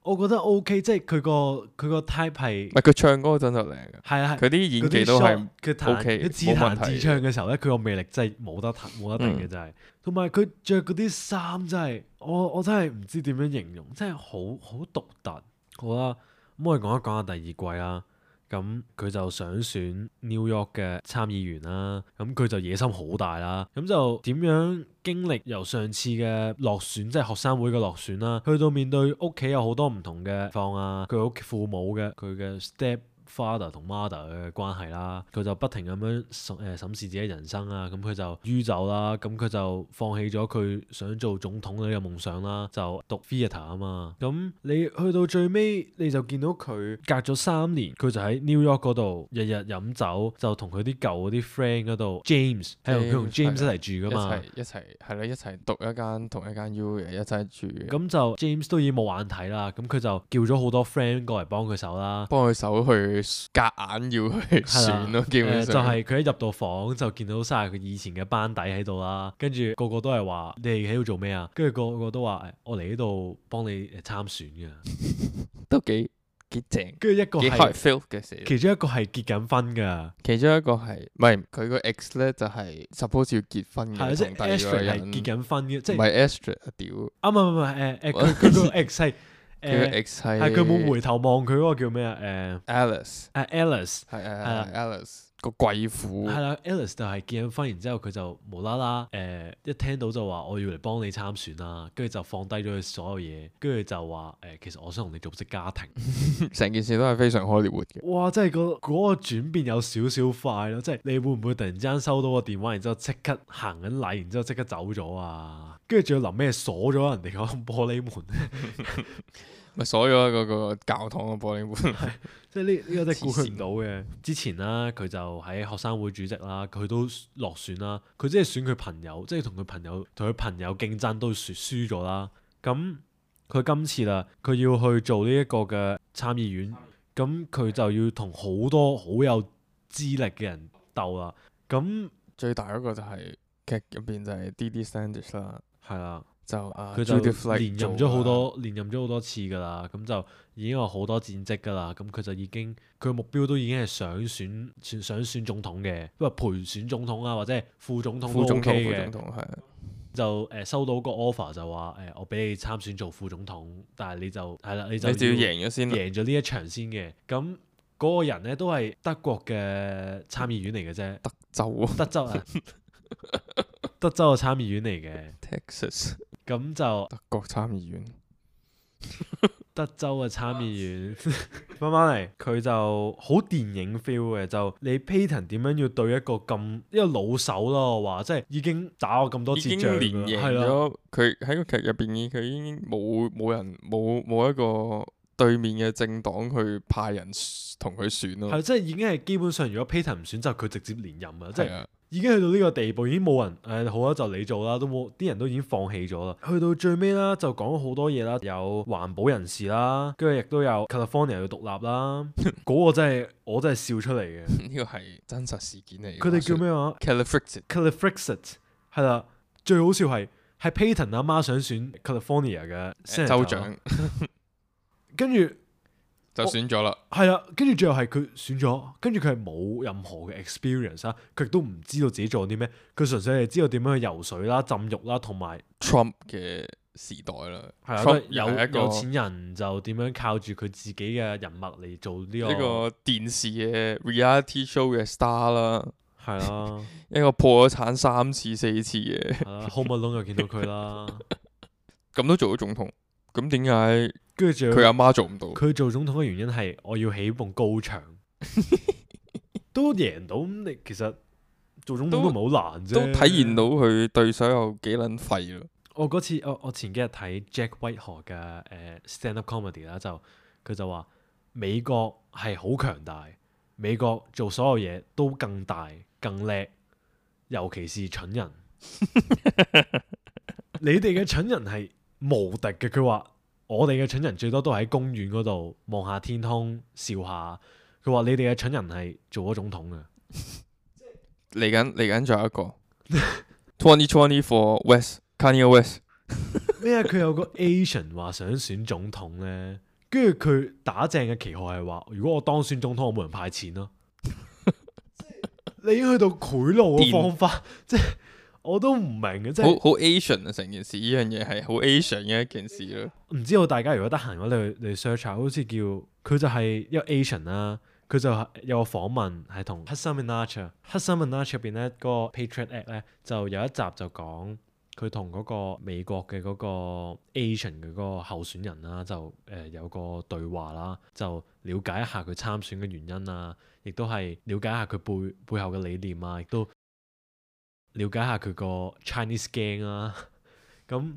我覺得 OK，即係佢個佢個 type 係唔係佢唱歌真係靚嘅，係啊係佢啲演技都係佢彈 OK，佢自冇問題彈自唱嘅時候咧，佢個魅力真係冇得彈冇得定嘅，嗯真係。同埋佢着嗰啲衫真係，我我真係唔知點樣形容，真係好好獨特。好啦，咁我哋講一講下第二季啦。咁佢就想選 New York 嘅參議員啦，咁佢就野心好大啦，咁就點樣經歷由上次嘅落選，即係學生會嘅落選啦，去到面對屋企有好多唔同嘅況啊，佢屋企父母嘅佢嘅 step father 同 mother 嘅關係啦，佢就不停咁樣審誒審視自己人生啊，咁佢就酗酒啦，咁佢就放棄咗佢想做總統嘅呢個夢想啦，就讀 theatre 啊嘛，咁你去到最尾你就見到佢隔咗三年，佢就喺 New York 嗰度日日飲酒，就同佢啲舊嗰啲 friend 嗰度 James 係同佢同 James 一齊住噶嘛，一齊一齊係咯，一齊讀一間同一間 U 嘅，一齊住嘅。咁就 James 都已經冇眼睇啦，咁佢就叫咗好多 friend 過嚟幫佢手啦。幫佢手去夾硬要去選咯，基本誒就上係佢一入到房就見到晒佢以前嘅班底喺度啦，跟住個個都係話你哋喺度做咩啊？跟住個個都話誒我嚟呢度幫你誒參選嘅，都幾幾正，跟住一個幾 hard 係 feel 嘅事。其中一個係結緊婚㗎，其中一個係唔係佢個 ex 咧就係 suppose 要結婚嘅，係啊即係同第二個 Astrid 係人結緊婚嘅，即係唔係 Astrid 啊屌，啊唔係唔係誒誒佢佢個 ex 係佢個誒 ex 係係佢冇回頭望佢嗰個叫咩啊誒 Alice，誒 Alice 係係係啊係 Alice 個貴婦係，啦，Alice 就係結咗婚，然之後佢就無啦啦誒一聽到就話我要嚟幫你參選啦，跟住就放低咗佢所有嘢，跟住就話誒、呃、其實我想同你組織家庭。成件事都係非常 Hollywood 嘅。哇！真係個嗰個轉變有少少快咯，即係你會唔會突然之間收到個電話，然之後即刻行緊禮，然之後即刻走咗啊？跟住仲要臨尾鎖咗人哋個玻璃門，咪鎖咗嗰個教堂嘅玻璃門。即係呢呢個真係估佢唔到嘅。之前啦，佢就喺學生會主席啦，佢都落選啦。佢即係選佢朋友，即係同佢朋友同佢朋友競爭都輸輸咗啦。咁佢今次啦，佢要去做呢一個嘅參議院，咁佢就要同好多好有資歷嘅人鬥啦。咁最大嗰個就係劇入邊就係 Didi Standish 啦，係啦。就啊佢就 Judith Light 連任咗好做多，連任咗好多次㗎啦，咁就已經有好多戰績㗎啦。咁佢就已經佢目標都已經係想選選想選總統嘅，因為陪選總統啊，或者係副總統都副總 OK 統，副嘅。總統係啊就誒、呃、收到個 offer 就話誒、呃、我俾你參選做副總統，但係你就係啦，你就你就要要贏咗先啦。贏咗呢一場先嘅。咁嗰個人咧都係德國嘅參議院嚟嘅啫，德州啊德州啊，德州嘅參議院嚟嘅， ，Texas 咁就德國參議院，德州嘅參議院翻返嚟，佢就好電影 feel 嘅，就你 Peyton 點樣要對一個咁一個老手咯，我話即係已經打過咁多已經次仗連贏㗎啦係啦，咗。佢喺個劇入邊，佢已經冇冇人冇冇一個對面嘅政黨去派人同佢選咯。係即係已經係基本上，如果 Peyton 唔選就佢直接連任啊，即係。係啊，已經去到呢個地步，已經冇人誒、好啦，就你做啦，都冇啲人都已經放棄咗啦。去到最尾啦，就講咗好多嘢啦，有環保人士啦，跟住亦都有 California 要獨立啦。嗰個真係我真係笑出嚟嘅。呢個係真實事件嚟嘅。佢哋叫咩話 Califrexit Califrexit 係啦，最好笑係係 Peyton 阿媽想選 California 嘅 Senator 州長跟住就選咗啦。係啦，跟住最後係佢選咗，跟住佢係冇任何嘅 experience 啦，佢亦都唔知道自己做啲咩，佢純粹係知道點樣去游水啦、浸浴啦，同埋 Trump 嘅時代啦，係啊， Trump 都係有又係一個有錢人就點樣靠住佢自己嘅人脈嚟做呢、個一個電視嘅 reality show 嘅 star 啦，係啦，一個破咗產三次四次嘅，係啦，Home Alone 又見到佢啦，咁都做咗總統，咁點解跟住仲佢阿有媽做唔到？佢做總統嘅原因係我要起棟高牆，都贏到咁你其實做總統都唔係好難啫，都體現到佢對手有幾撚廢咯。我嗰次我我前幾日睇 Jack Whitehall 嘅誒、呃 stand up comedy 啦，就佢就話美國係好強大，美國做所有嘢都更大更叻，尤其是蠢人。你哋嘅蠢人係無敵嘅，佢話我哋嘅蠢人最多都係喺公園嗰度望下天空笑下。佢話你哋嘅蠢人係做咗總統嘅。嚟緊嚟緊仲有一個 twenty twenty for West Kanye West 咩啊？佢有個 Asian 話想選總統咧，跟住佢打正嘅旗號係話：如果我當選總統，我冇人派錢咯。你已經去到賄賂嘅方法，即係我都唔明嘅，即係好好 Asian 啊！成件事呢樣嘢係好 Asian 嘅一件事咯。唔知道大家如果得閒嘅話，你去你 search 下，好似叫佢就係一個 Asian 啦。佢就係有個訪問係同 Hasan Minhaj，Hasan Minhaj 入邊咧嗰個 Patriot Act 咧就有一集就講佢同嗰個美國嘅嗰個 Asian 嘅嗰個候選人啦，就誒、呃、有個對話啦，就了解一下佢參選嘅原因啊，亦都係了解一下佢背背後嘅理念啊，亦都了解下佢個 Chinese gang 啊，咁。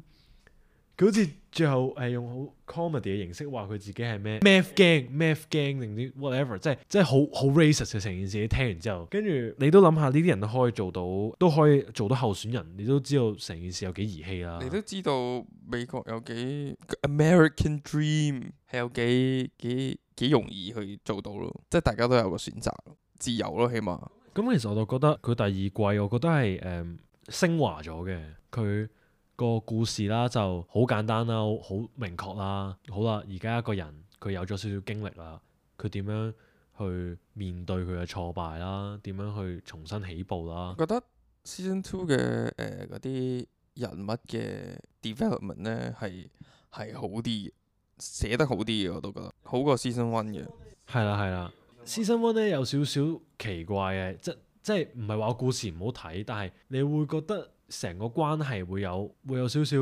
佢好似最後係用好 comedy 嘅形式話佢自己係咩 math gang、math gang 定啲 whatever，即係即係好好 racist 嘅成件事。你聽完之後，跟住你都諗下呢啲人都可以做到，都可以做到候選人，你都知道成件事有幾兒戲啦。你都知道美國有幾 American Dream 係有幾幾幾容易去做到咯，即係大家都有個選擇，自由咯，起碼。咁其實我就覺得佢第二季，我覺得係誒、嗯、升華咗嘅佢。個故事啦就好簡單啦，好好明確啦。好啦，而家一個人佢有咗少少經歷啦，佢點樣去面對佢嘅挫敗啦？點樣去重新起步啦？我覺得 Season Two 嘅誒嗰啲人物嘅 development 咧係係好啲，寫得好啲嘅，我都覺得好過 Season One 嘅。係啦係啦，Season One 咧有少少奇怪嘅，即即係唔係話故事唔好睇，但係你會覺得。成個關係會有會有少少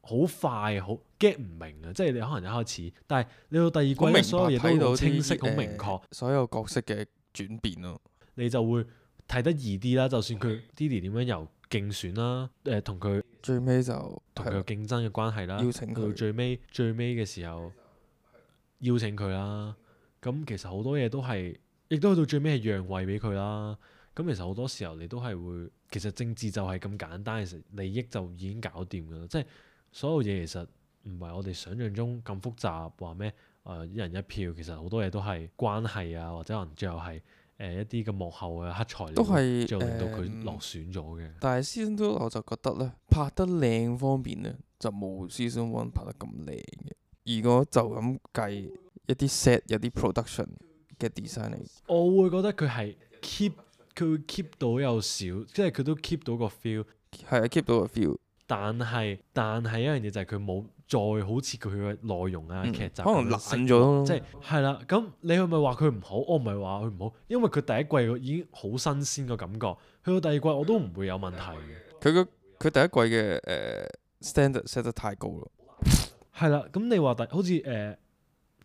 好快好 get 唔明啊！即係你可能一開始，但係你到第二季咧，所有嘢都好清晰、好明確、呃，所有角色嘅轉變咯，你就會睇得易啲啦。就算佢 Diddy 點樣由競選啦，誒同佢最尾就同佢競爭嘅關係啦，邀請佢到最尾最尾嘅時候邀請佢啦。咁其實好多嘢都係，亦都去到最尾係讓位俾佢啦。咁其實好多時候你都係會，其實政治就係咁簡單，其實利益就已經搞掂㗎啦。即係所有嘢其實唔係我哋想象中咁複雜，話咩誒一人一票，其實好多嘢都係關係啊，或者可能最後係誒、呃、一啲嘅幕後嘅黑材料，都係就令到佢落選咗嘅、嗯。但係 Season Two 我就覺得咧，拍得靚方面咧就冇 Season One 拍得咁靚嘅。如果就咁計一啲 set 有啲 production 嘅 design 嚟，我會覺得佢係 keep。佢會 keep 到有少，即係佢都 keep 到個 feel，係啊 keep 到個 feel。但係但係一樣嘢就係佢冇再好似佢嘅內容啊、嗯劇集可能咁樣懶咗咯即係係啦。咁你係咪話佢唔好？我唔係話佢唔好，因為佢第一季已經好新鮮個感覺，去到第二季我都唔會有問題嘅。佢個佢第一季嘅誒、呃、standard set 得太高咯。係啦，咁你話第好似誒、呃、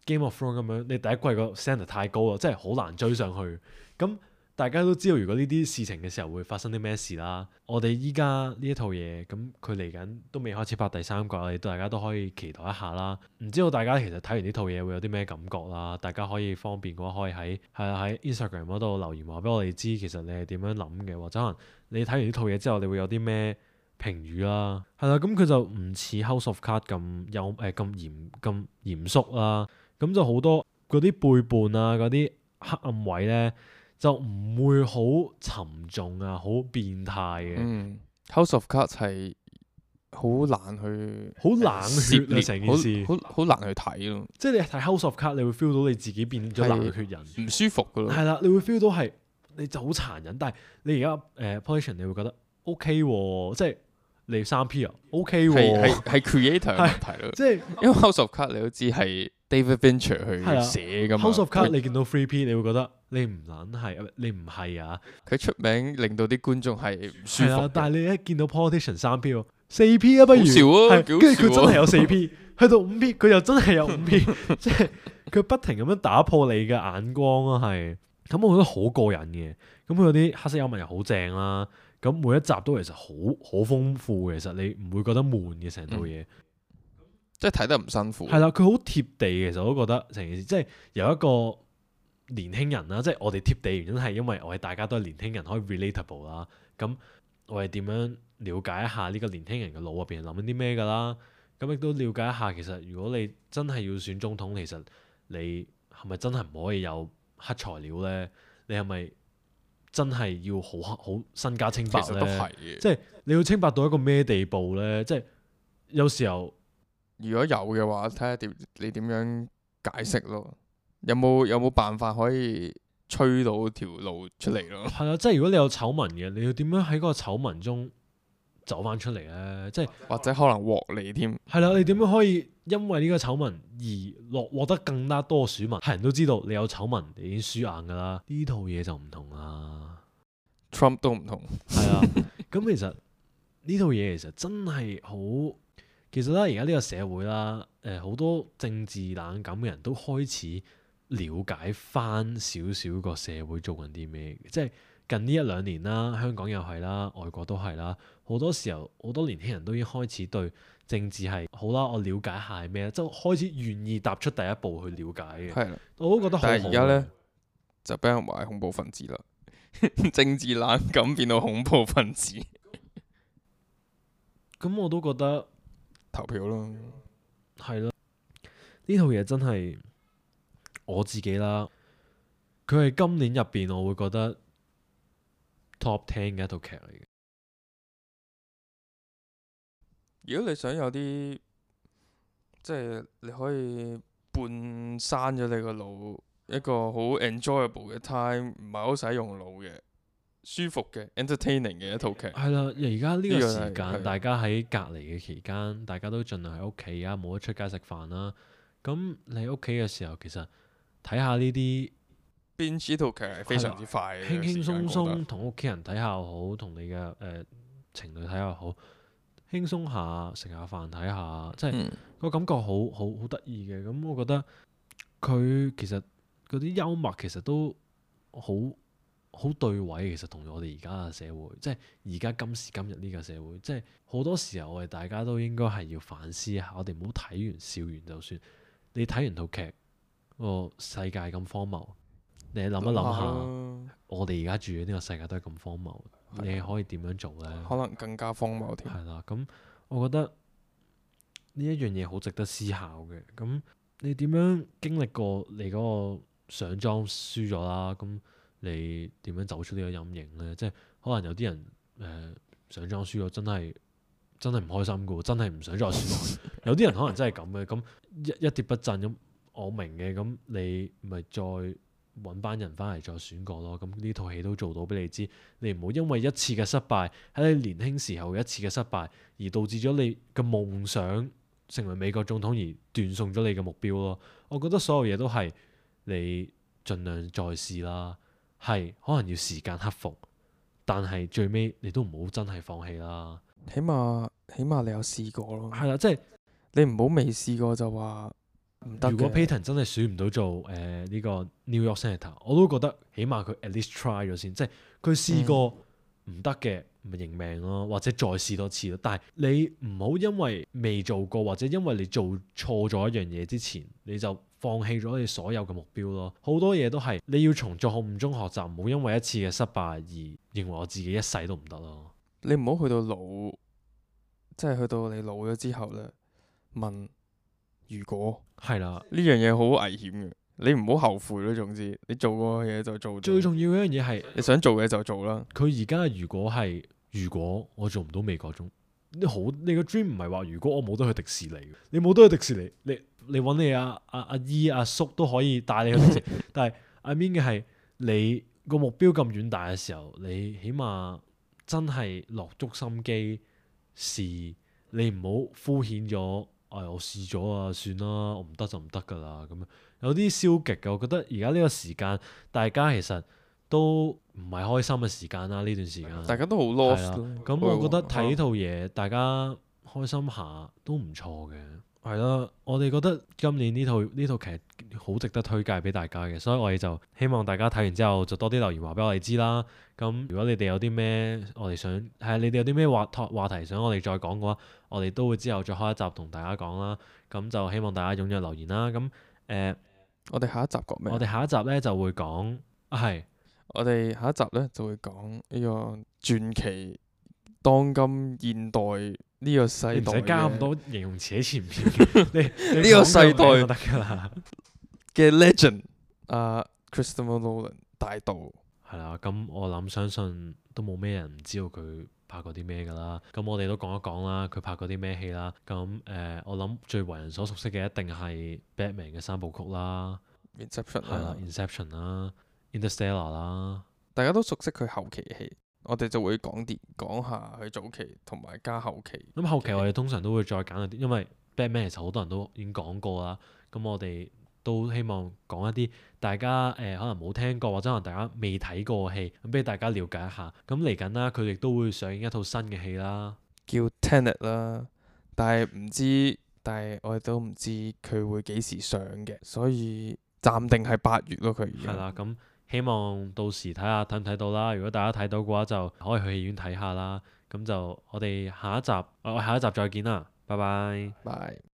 Game of Thrones 咁樣，你第一季個 standard 太高啦，即係好難追上去。咁大家都知道，如果呢啲事情嘅時候會發生啲咩事啦。我哋依家呢一套嘢，咁佢嚟緊都未開始拍第三季，我哋大家都可以期待一下啦。唔知道大家其實睇完呢套嘢會有啲咩感覺啦？大家可以方便嘅話，可以喺係啊喺 Instagram 嗰度留言話俾我哋知，其實你係點樣諗嘅，或者可能你睇完呢套嘢之後，你會有啲咩評語啦？係啦，咁佢就唔似 House of Cards 咁有誒咁嚴咁嚴肅啦，咁就好多嗰啲背叛啊，嗰啲黑暗位咧。就唔會好沉重啊，好變態嘅。嗯，House of Cards 係好難去，好冷血啊！成件事好好難去睇咯。即係你睇 House of Cards，你會 feel 到你自己變咗冷血人，唔舒服噶咯。係啦，你會 feel 到係你就好殘忍，但係你而家誒 Politician 你會覺得 OK 喎，即係你三 P 啊 OK 喎，係係係 creator 嘅問題咯。即係因為 House of Cards 你都知係 David Fincher 去寫噶嘛。House of Cards 你見到 three P， 你會覺得你唔撚係，你唔係啊！佢出名令到啲觀眾係唔舒服。係啊，但係你一見到 Politician 三 P 喎，四 P 啊不如，好笑啊，跟住佢真係有四 P，去到五 P 佢又真係有五 P，即係佢不停咁樣打破你嘅眼光啊，係咁我覺得好過癮嘅。咁佢嗰啲黑色幽默又好正啦，咁每一集都其實好好豐富嘅，其實你唔會覺得悶嘅成套嘢。嗯即係睇得唔辛苦。係啦，佢好貼地嘅，其實我都覺得成件事，即係由一個年輕人啦，即係我哋貼地原因係因為我哋大家都係年輕人，可以 relatable 啦。咁我哋點樣了解一下呢個年輕人嘅腦入邊諗緊啲咩㗎啦？咁亦都了解一下，其實如果你真係要選總統，其實你係咪真係唔可以有黑材料咧？你係咪真係要好黑好身家清白咧？其實都係嘅。即係你要清白到一個咩地步咧？即係有時候。如果有嘅話，睇下點你點樣解釋咯？有冇有冇辦法可以吹到條路出嚟咯？係啊，即係如果你有醜聞嘅，你要點樣喺嗰個醜聞中走翻出嚟咧？即係或者可能獲利添。係啦，你點樣可以因為呢個醜聞而落獲得更加多選民？係人都知道你有醜聞，你已經輸硬㗎啦。呢套嘢就唔同啦 Trump 都唔同。係啊，咁其實呢套嘢其實真係好。其實咧，而家呢個社會啦，誒、呃、好多政治冷感嘅人都開始了解翻少少個社會做緊啲咩，即係近呢一兩年啦，香港又係啦，外國都係啦，好多時候好多年輕人都已經開始對政治係好啦，我了解下係咩，即係開始願意踏出第一步去了解嘅。係啦，我都覺得好好。但係而家咧就俾人話係恐怖分子啦，政治冷感變到恐怖分子。咁我都覺得。投票咯，係咯，呢套嘢真係我自己啦。佢係今年入邊，我會覺得 top ten 嘅一套劇嚟嘅。如果你想有啲，即係你可以半閂咗你個腦，一個好 enjoyable 嘅 time，唔係好使用腦嘅。舒服嘅 entertaining 嘅一套劇係啦，而家呢個時間，大家喺隔離嘅期間，大家都盡量喺屋企啊，冇得出街食飯啦。咁你喺屋企嘅時候，其實睇下呢啲 binge 呢套劇係非常之快嘅，輕輕鬆鬆同屋企人睇下又好，同你嘅誒、呃、情侶睇下又好，輕鬆下食下飯睇下，即係、嗯、個感覺好好好得意嘅。咁我覺得佢其實嗰啲幽默其實都好。好對位，其實同我哋而家嘅社會，即係而家今時今日呢個社會，即係好多時候我哋大家都應該係要反思下，我哋唔好睇完笑完就算。你睇完套劇，個世界咁荒謬，你諗一諗下，我哋而家住嘅呢個世界都係咁荒謬，的你可以點樣做呢？可能更加荒謬添。係啦，咁我覺得呢一樣嘢好值得思考嘅。咁你點樣經歷過你嗰個上莊輸咗啦？咁你點樣走出呢個陰影呢？即係可能有啲人誒、呃、上莊輸咗，真係真係唔開心嘅喎，真係唔想再選落去。有啲人可能真係咁嘅，咁一一蹶不振咁，我明嘅。咁你咪再揾班人翻嚟再選過咯。咁呢套戲都做到俾你知，你唔好因為一次嘅失敗，喺你年輕時候一次嘅失敗，而導致咗你嘅夢想成為美國總統而斷送咗你嘅目標咯。我覺得所有嘢都係你盡量再試啦，係可能要時間克服，但係最尾你都唔好真係放棄啦。起碼起碼你有試過咯。係啦，即係你唔好未試過就話唔得嘅。如果 Payton 真係選唔到做誒呢、呃呢個 New York Senator，我都覺得起碼佢 at least try 咗先，即係佢試過唔得嘅咪認命咯，或者再試多次咯。但係你唔好因為未做過，或者因為你做錯咗一樣嘢之前，你就放棄咗你所有嘅目標咯。好多嘢都係你要從錯誤中學習，唔好因為一次嘅失敗而認為我自己一世都唔得咯。你唔好去到老，即係去到你老咗之後咧，問如果係啦，呢樣嘢好危險嘅，你唔好後悔咯。總之你做過嘅嘢就做咗，最重要嘅一樣嘢係你想做嘅就做啦。佢而家如果係如果我做唔到美國總，你好你個 dream 唔係話如果我冇得去迪士尼，你冇得去迪士尼，你你揾你阿阿阿姨阿叔都可以帶你去迪士尼，但係 I mean 嘅係你個目標咁遠大嘅時候，你起碼真係落足心機試，你唔好敷衍咗。哎，我試咗啊，算啦，我唔得就唔得噶啦。咁樣有啲消極嘅，我覺得而家呢個時間，大家其實都唔係開心嘅時間啦。呢段時間大家都好係 lost 啦咯。咁我覺得睇呢套嘢，大家開心下都唔錯嘅。係啦，我哋覺得今年呢套呢套劇好值得推介俾大家嘅，所以我哋就希望大家睇完之後就多啲留言話俾我哋知啦。咁如果你哋有啲咩我哋想係你哋有啲咩話話題想我哋再講嘅話，我哋都會之後再開一集同大家講啦。咁就希望大家踴躍留言啦。咁誒，呃、我哋下一集講咩？我哋下一集咧就會講啊係，我哋下一集咧就會講呢個傳奇當今現代呢個世代你唔使加咁多形容詞喺前面，你呢個世代就得㗎啦。嘅 legend 啊 Christopher Nolan 大導。係啦，咁我諗相信都冇咩人唔知道佢拍過啲咩㗎啦。咁我哋都講一講啦，佢拍過啲咩戲啦。咁誒、呃，我諗最為人所熟悉嘅一定係 Batman 嘅三部曲啦 Inception 係啦啦， ，Inception 啦，Interstellar 啦。大家都熟悉佢後期嘅戲，我哋就會講啲講下佢早期同埋加後期。咁後期我哋通常都會再揀一啲，因為 Batman 其實好多人都已經講過啦。咁我哋都希望講一啲大家誒、呃、可能冇聽過或者可能大家未睇過嘅戲，咁俾大家了解一下。咁嚟緊啦，佢亦都會上映一套新嘅戲啦，叫 Tenet 啦，但係唔知，但係我哋都唔知佢會幾時上嘅，所以暫定係八月咯。佢而家係啦。咁希望到時睇下睇唔睇到啦。如果大家睇到嘅話，就可以去戲院睇下啦。咁就我哋下一集，我下一集再見啦，拜拜。拜。